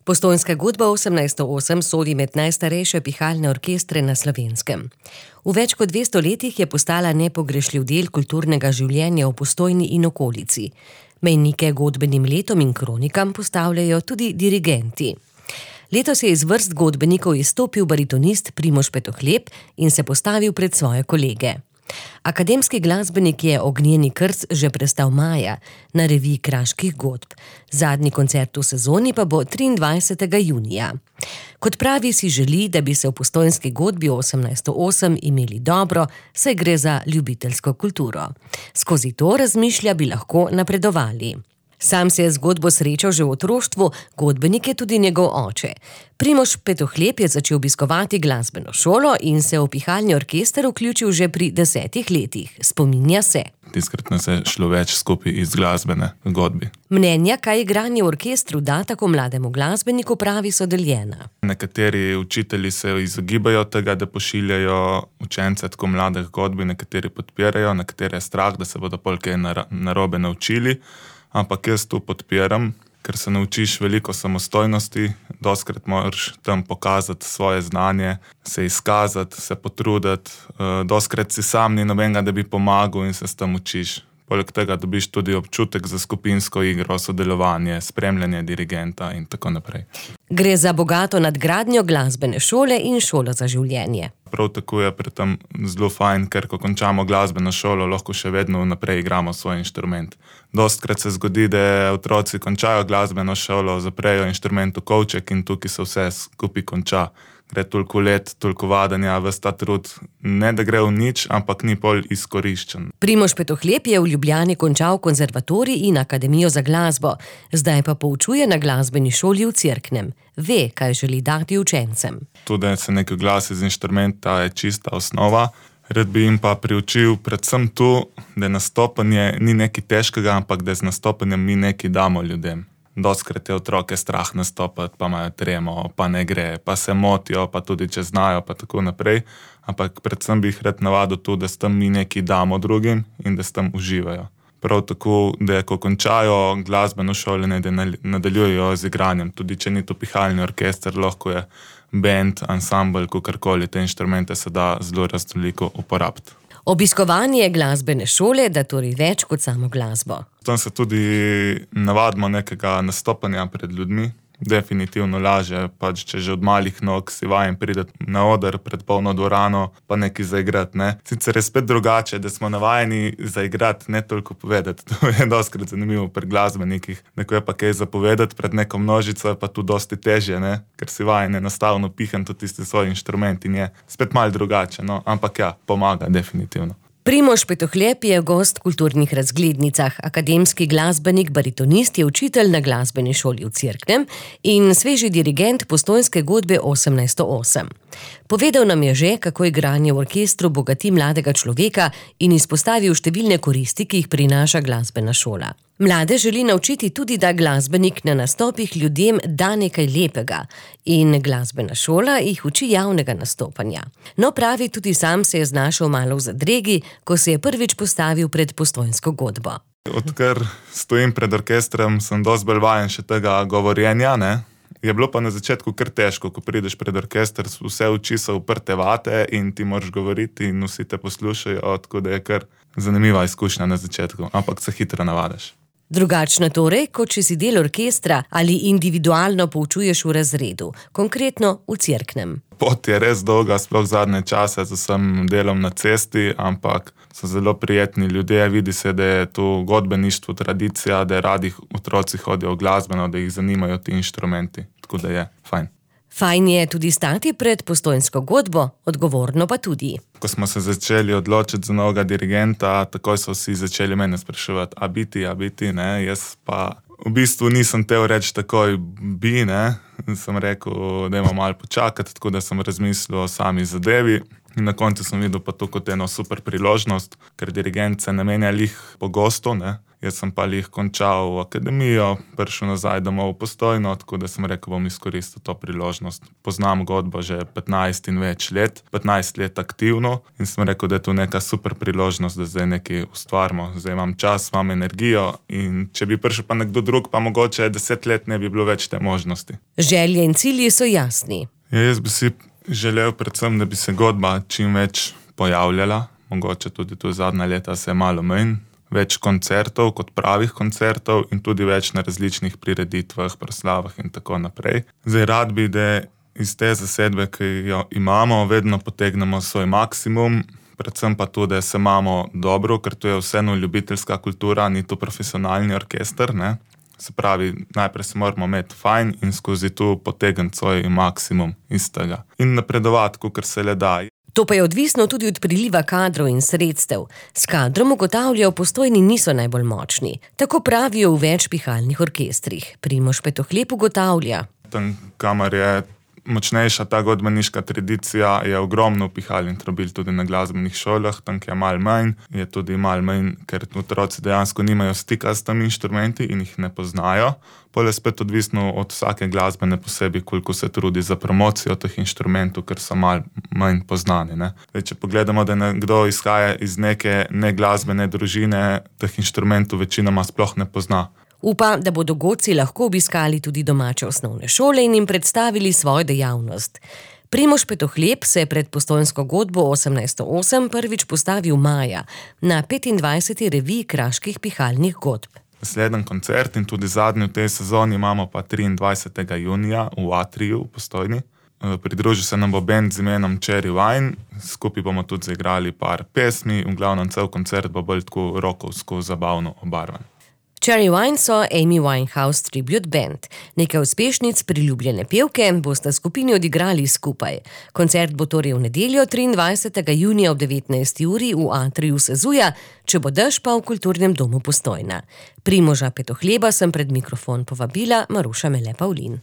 Postojnska godba 1808 sodi med najstarejše pihalne orkestre na Slovenskem. V več kot 200 letih je postala nepogrešljiv del kulturnega življenja v Postojni in okolici. Mejnike godbenim letom in kronikam postavljajo tudi dirigenti. Letos je iz vrst godbenikov izstopil baritonist Primož Petohlep in se postavil pred svoje kolege. Akademski glasbenik je Ognjeni krst že prestal maja na reviji kraških godb. Zadnji koncert v sezoni pa bo 23. junija. Kot pravi, si želi, da bi se v Postojnski godbi 1808 imeli dobro, saj gre za ljubiteljsko kulturo. Skozi to, razmišlja, bi lahko napredovali. Sam se je z godbo srečal že v otroštvu, godbenik je tudi njegov oče. Primož Petohlep je začel obiskovati glasbeno šolo in se v pihalni orkester vključil že pri 10 letih. Spominja se. Tiskrat nas je šlo več skupaj iz glasbene godbi. Mnenja, kaj igranje v orkestru da tako mlademu glasbeniku, pravi, so deljena. Nekateri učitelji se izogibajo tega, da pošiljajo učence tako mladih godbi, nekateri podpirajo, nekateri je strah, da se bodo pol kaj narobe naučili. Ampak jaz to podpiram, ker se naučiš veliko samostojnosti, dostikrat moraš tam pokazati svoje znanje, se izkazati, se potruditi, dostikrat si sam ni nobenega, da bi pomagal in se s tem učiš. Poleg tega dobiš tudi občutek za skupinsko igro, sodelovanje, spremljanje dirigenta in tako naprej. Gre za bogato nadgradnjo glasbene šole in šolo za življenje. Prav tako je pri tem zelo fajn, ker ko končamo glasbeno šolo, lahko še vedno naprej igramo svoj inštrument. Dostikrat se zgodi, da otroci končajo glasbeno šolo, zaprejo inštrument v kovček in tukaj se vse skupaj konča. Gre toliko let, toliko vadanja, ves ta trud, ne da gre v nič, ampak ni pol izkoriščen. Primož Petohlep je v Ljubljani končal konzervatorij in akademijo za glasbo, zdaj pa poučuje na glasbeni šoli v Cerknem. Ve, kaj želi dati učencem. Tudi, da se nekaj glasi z inštrumenta, je čista osnova. Rad bi jim pa priučil predvsem to, da nastopanje ni nekaj težkega, ampak da z nastopanjem mi nekaj damo ljudem. Dostikrat je otroke strah nastopati, pa imajo tremo, pa ne gre, pa se motijo, pa tudi če znajo, pa tako naprej. Ampak predvsem bi jih rad navadil to, da s tem mi nekaj damo drugim in da s tem uživajo. Prav tako, da ko končajo glasbeno šolo, da nadaljujejo z igranjem. Tudi če ni to pihalni orkester, lahko je band, ansambel, kakorkoli, te inštrumente se da zelo raznoliko uporabiti. Obiskovanje glasbene šole da torej več kot samo glasbo. Tam se tudi navadimo nekega nastopanja pred ljudmi. Definitivno laže, pač če že od malih nog si vajen priti na oder pred polno dvorano, pa nekaj zaigrati, ne. Sicer je spet drugače, da smo navajeni zaigrati, ne toliko povedati. To je dostikrat zanimivo pri glasbenikih. Neko je pa kaj zapovedati pred neko množico, je pa tu dosti težje, ne, ker si vajen enostavno pihniti tisti svoj inštrument in je spet malo drugače, no, ampak ja, pomaga definitivno. Primož Petohlep je gost v kulturnih razglednicah, akademski glasbenik, baritonist, je učitelj na glasbeni šoli v Cerknem in sveži dirigent Postojnske godbe 1808. Povedal nam je že, kako igranje v orkestru bogati mladega človeka in izpostavil številne koristi, ki jih prinaša glasbena šola. Mlade želi naučiti tudi, da glasbenik na nastopih ljudem da nekaj lepega in glasbena šola jih uči javnega nastopanja. No, pravi, tudi sam se je znašel malo v zadregi, ko se je prvič postavil pred Postojnsko godbo. Odkar stojim pred orkestrom, sem dosti bolj vajen še tega govorjenja, ne. Je bilo pa na začetku kar težko, ko prideš pred orkester, vse oči so uprte vate in ti moraš govoriti in vsi te poslušajo, tako da je kar zanimiva izkušnja na začetku, ampak se hitro navadiš. Drugačno torej, kot če si del orkestra ali individualno poučuješ v razredu, konkretno v Cerknem. Pot je res dolga, sploh zadnje čase z vsem delom na cesti, ampak so zelo prijetni ljudje, vidi se, da je to godbeništvo tradicija, da radi otroci hodijo v glasbeno, da jih zanimajo ti inštrumenti, tako da je fajn. Fajn je tudi stati pred Postojnsko godbo, odgovorno pa tudi. Ko smo se začeli odločiti za novega dirigenta, takoj so vsi začeli mene spraševati, a biti, ne, jaz pa v bistvu nisem tel reči takoj bi, ne, sem rekel, da imam malo počakati, tako da sem razmislil o sami zadevi in na koncu sem videl pa to kot eno super priložnost, ker dirigent se ne menja lih pogosto, ne. Jaz sem pa lih končal akademijo, prišel nazaj domov v Postojno, tako da sem rekel, bom izkoristil to priložnost. Poznam godbo že 15 in več let, 15 let aktivno in sem rekel, da je to neka super priložnost, da zdaj nekaj ustvarimo. Zdaj imam čas, imam energijo in če bi prišel pa nekdo drug, pa mogoče 10 let ne bi bilo več te možnosti. Želje in cilji so jasni. Ja, jaz bi si želel predvsem, da bi se godba čim več pojavljala, mogoče tudi tu zadnja leta se je malo manj, več koncertov kot pravih koncertov in tudi več na različnih prireditvah, proslavah in tako naprej. Zdaj rad bi, da iz te zasedbe, ki jo imamo, vedno potegnemo svoj maksimum, predvsem pa tudi, da se imamo dobro, ker to je vseeno ljubiteljska kultura, ni to profesionalni orkester, ne. Se pravi, najprej se moramo imeti fajn in skozi to potegniti svoj maksimum iz tega. In napredovati, kakor se le da. To pa je odvisno tudi od priliva kadrov in sredstev. S kadrom ugotavljajo, v Postojni niso najbolj močni. Tako pravijo v več pihalnih orkestrih. Primož Petohlep ugotavlja. Tam, kamor je močnejša ta godbeniška tradicija, je ogromno pihal in trobil tudi na glasbenih šolah, tam je malo manj, je tudi malo manj, ker otroci dejansko nimajo stika s temi inštrumenti in jih ne poznajo. Pol je spet odvisno od vsake glasbene posebej, koliko se trudi za promocijo teh inštrumentov, ker so malo manj poznani, ne. Zdaj, če pogledamo, da nekdo izhaja iz neke neglasbene družine, teh inštrumentov večinoma sploh ne pozna. Upa, da bodo godci lahko obiskali tudi domače osnovne šole in jim predstavili svojo dejavnost. Primož Petohlep se je pred postojnsko godbo 1808 prvič postavil maja na 25. reviji kraških pihalnih godb. Naslednji koncert in tudi zadnji v tej sezoni imamo pa 23. junija v Atriju v Postojni. Pridružil se nam bo bend z imenom Cherry Wine, skupaj bomo tudi zaigrali par pesmi, v glavnem cel koncert bo bolj tako rockovsko zabavno obarvan. Cherry Wine so Amy Winehouse Tribute Band. Nekaj uspešnic priljubljene pevke bosta skupini odigrali skupaj. Koncert bo torej v nedeljo 23. junija ob 19. uri v Atriju Sezuja, če bo dež pa v Kulturnem domu Postojna. Primoža Petohleba sem pred mikrofon povabila Maruša Mele Pavlin.